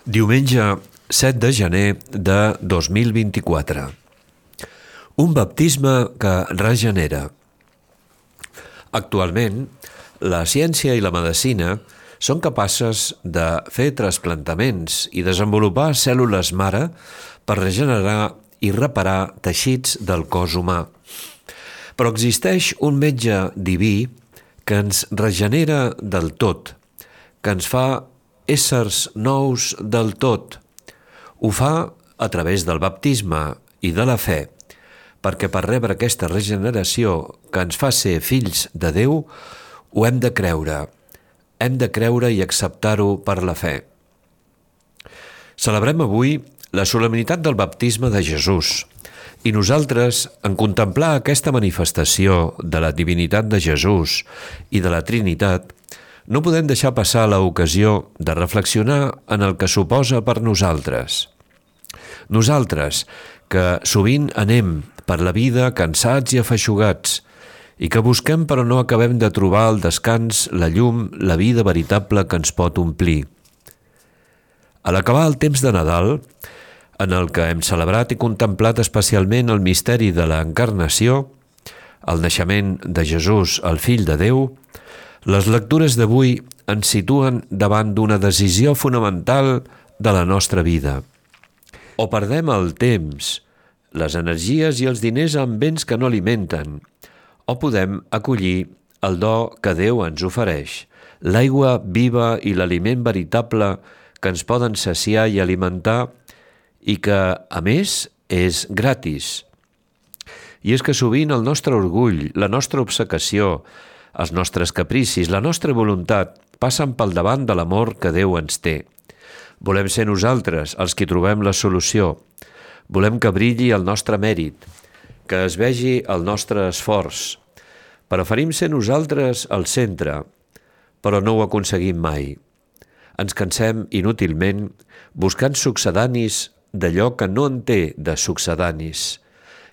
Diumenge 7 de gener de 2024. Un baptisme que regenera. Actualment, la ciència i la medicina són capaces de fer trasplantaments i desenvolupar cèl·lules mare per regenerar i reparar teixits del cos humà. Però existeix un metge diví que ens regenera del tot, que ens fa éssers nous del tot. Ho fa a través del baptisme i de la fe, perquè per rebre aquesta regeneració que ens fa ser fills de Déu, ho hem de creure. Hem de creure i acceptar-ho per la fe. Celebrem avui la solemnitat del baptisme de Jesús, i nosaltres, en contemplar aquesta manifestació de la divinitat de Jesús i de la Trinitat, no podem deixar passar l'ocasió de reflexionar en el que suposa per nosaltres. Nosaltres, que sovint anem per la vida cansats i afeixugats, i que busquem però no acabem de trobar el descans, la llum, la vida veritable que ens pot omplir. A l'acabar el temps de Nadal, en el que hem celebrat i contemplat especialment el misteri de l'encarnació, el naixement de Jesús, el Fill de Déu, les lectures d'avui ens situen davant d'una decisió fonamental de la nostra vida. O perdem el temps, les energies i els diners en béns que no alimenten, o podem acollir el do que Déu ens ofereix, l'aigua viva i l'aliment veritable que ens poden saciar i alimentar i que, a més, és gratis. I és que sovint el nostre orgull, la nostra obcecació, els nostres capricis, la nostra voluntat passen pel davant de l'amor que Déu ens té. Volem ser nosaltres els qui trobem la solució. Volem que brilli el nostre mèrit, que es vegi el nostre esforç. Preferim ser nosaltres al centre, però no ho aconseguim mai. Ens cansem inútilment buscant succedanis d'allò que no en té de succedanis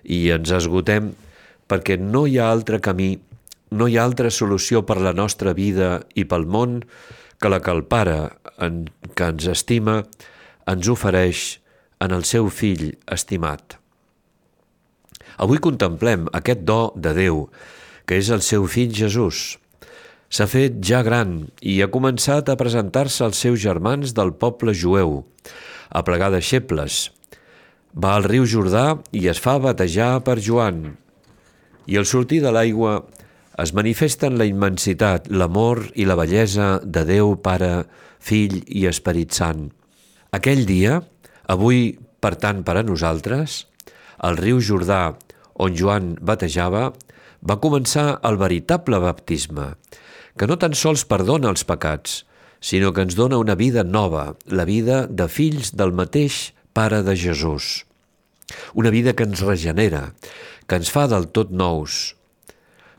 i ens esgotem perquè no hi ha altre camí, no hi ha altra solució per la nostra vida i pel món que la que el Pare, que ens estima, ens ofereix en el seu Fill estimat. Avui contemplem aquest do de Déu, que és el seu Fill Jesús. S'ha fet ja gran i ha començat a presentar-se als seus germans del poble jueu, a plegar deixebles. Va al riu Jordà i es fa batejar per Joan. I al sortir de l'aigua es manifesten la immensitat, l'amor i la bellesa de Déu Pare, Fill i Esperit Sant. Aquell dia, avui per tant per a nosaltres, al riu Jordà, on Joan batejava, va començar el veritable baptisme, que no tan sols perdona els pecats, sinó que ens dona una vida nova, la vida de fills del mateix Pare de Jesús. Una vida que ens regenera, que ens fa del tot nous.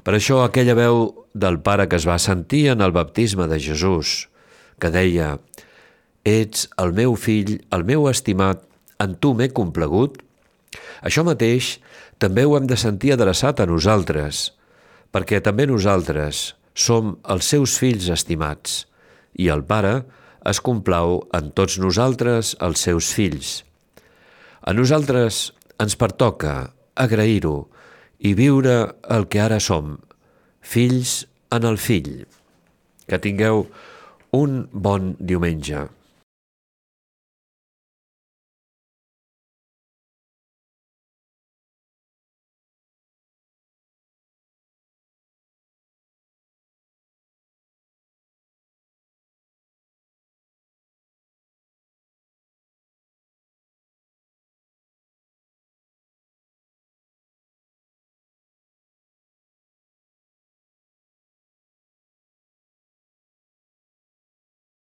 Per això aquella veu del Pare que es va sentir en el baptisme de Jesús, que deia: «Ets el meu fill, el meu estimat, en tu m'he complagut», això mateix també ho hem de sentir adreçat a nosaltres, perquè també nosaltres som els seus fills estimats, i el Pare es complau en tots nosaltres, els seus fills. A nosaltres ens pertoca agrair-ho i viure el que ara som, fills en el Fill. Que tingueu un bon diumenge.